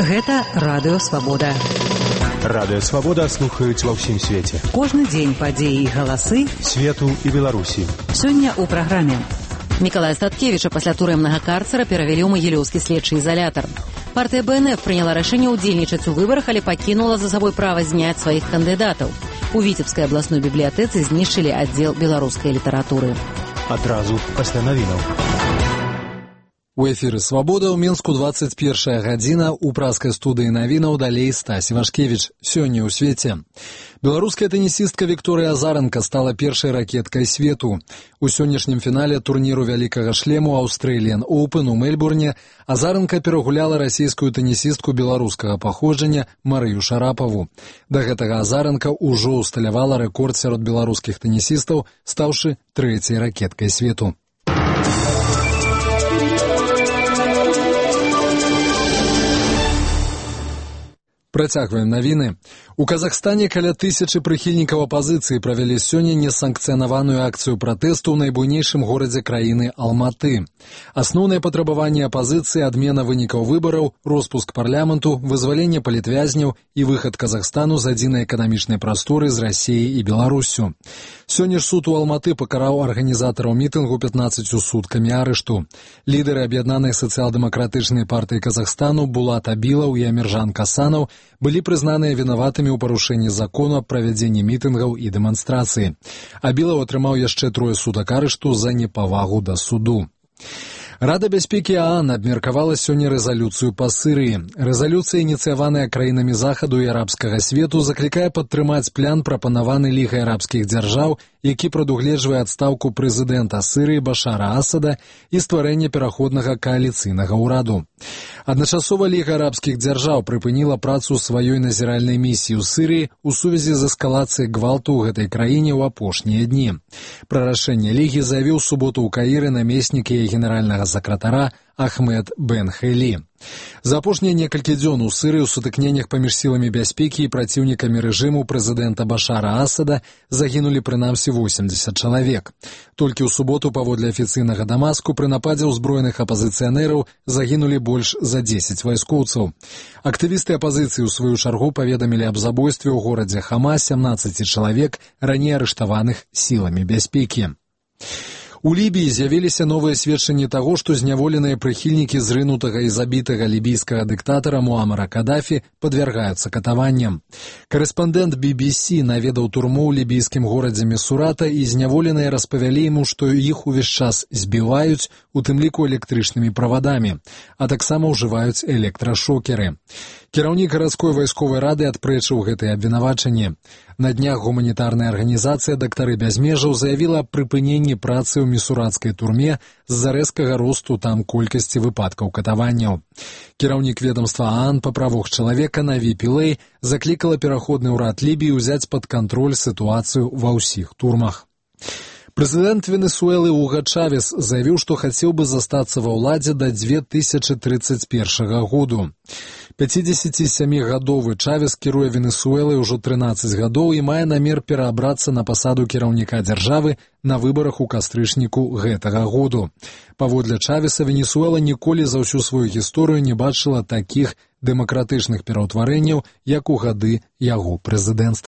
Гэта Радыё Свабода. Радыё Свабода слухаюць ва ўсім свеце. Кожны дзень падзеі і галасы свету і Беларусі. Сёння ў праграме. Мікалая Статкевіча пасля турэмнага карцера перавялі ў Магілёўскі следчы ізалятар. Партыя БНФ прыняла рашэнне ўдзельнічаць у выбарах, але пакінула за сабой права зняць сваіх кандыдатаў. У Віцебскай абласной бібліятэцы знішчылі аддзел беларускай літаратуры. Адразу пасля навінаў. У эфіры «Свабода» ў Мінску 21 гадзіна, у праскай студыі навінаў далей Стась Івашкевіч. Сёння ў свеце. Беларуская тэнісістка Вікторыя Азаранка стала першай ракеткай свету. У сённяшнім фінале турніру вялікага шлему Australian Open у Мельбурне Азаранка перагуляла расійскую тэнісістку беларускага паходжання Марыю Шарапаву. Да гэтага Азаранка ўжо ўсталявала рэкорд сярод беларускіх тэнісістаў, стаўшы трэцяй ракеткай свету. Працягваем навіны. У Казахстане каля 1000 прыхільнікаў апазіцыі правялі сёння несанкцыянаваную акцыю пратэсту ў найбуйнейшым горадзе краіны Алматы. Асноўныя патрабаванні апазіцыі — адмена вынікаў выбараў, роспуск парламенту, вызваленне палітвязняў і выхад Казахстану з адзінай эканамічнай прасторы з Расіяй і Беларуссю. Сёння ж суд у Алматы пакараў арганізатараў мітынгу 15 суткамі арышту. Лідары аб'яднанай сацыял-дэмакратычнай партыі Казахстану Булат Абілаў і Аміржан Касанаў былі прызнаныя вінаватымі ў парушэнні закону аб правядзенні мітынгаў і дэманстрацыі. Абілаў атрымаў яшчэ 3 сутак арышту за непавагу да суду. Рада бяспекі ААН абмеркавала сёння рэзалюцыю па Сырыі. Рэзалюцыя, ініцыяваная краінамі захаду і арабскага свету, заклікае падтрымаць план, прапанаваны Лігай арабскіх дзяржаў, які прадугледжвае адстаўку прэзідэнта Сырыі Башара Асада і стварэнне пераходнага кааліцыйнага ўраду. Адначасова Ліга арабскіх дзяржаў прыпыніла працу сваёй назіральнай місіі ў Сырыі ў сувязі з эскалацыяй гвалту ў гэтай краіне ў апошнія дні. Пра рашэнне Лігі заявіў суботу ў Каіры намеснік яе генеральнага сакратара Ахмед Бен Хейлі. За апошнія некалькі дзён у Сырыі ў сутыкненнях паміж сіламі бяспекі і праціўнікамі рэжыму прэзідэнта Башара Асада загінулі прынамсі 80 чалавек. Толькі ў суботу, паводле афіцыйнага Дамаску, пры нападзе ўзброеных апазіцыянераў загінулі больш за 10 вайскоўцаў. Актывісты апазіцыі ў сваю чаргу паведамілі аб забойстве ў горадзе Хама 17 чалавек, раней арыштаваных сіламі бяспекі. У Лібіі з'явіліся новыя сведчанні таго, што зняволеныя прыхільнікі зрынутага і забітага лібійскага дыктатара Муамара Кадафі падвяргаюцца катаванням. Карэспандэнт BBC наведаў турму ў лібійскім горадзе Місурата, і зняволеныя распавялі яму, што іх увесь час збіваюць, у тым ліку электрычнымі правадамі, а таксама ўжываюць электрашокеры. Кіраўнік гарадской вайсковай рады адпрэчыў гэтыя абвінавачанні. На днях гуманітарная арганізацыя «Дактары без межаў» заявіла аб прыпыненні працы ў місуратскай турме з-за рэзкага росту там колькасці выпадкаў катаванняў. Кіраўнік ведомства ААН па правах чалавека Наві Пілэй заклікала пераходны ўрад Лібіі ўзяць пад кантроль сітуацыю ва ўсіх турмах. Прэзідэнт Венесуэлы Уга Чавес заявіў, што хацеў бы застацца ва ўладзе да 2031 году. 57-гадовы Чавес кіруе Венесуэлай ужо 13 гадоў і мае намер пераабрацца на пасаду кіраўніка дзяржавы на выбарах у кастрычніку гэтага году. Паводле Чавеса, Венесуэла ніколі за ўсю сваю гісторыю не бачыла такіх дэмакратычных пераўтварэнняў, як у гады яго прэзідэнцтва.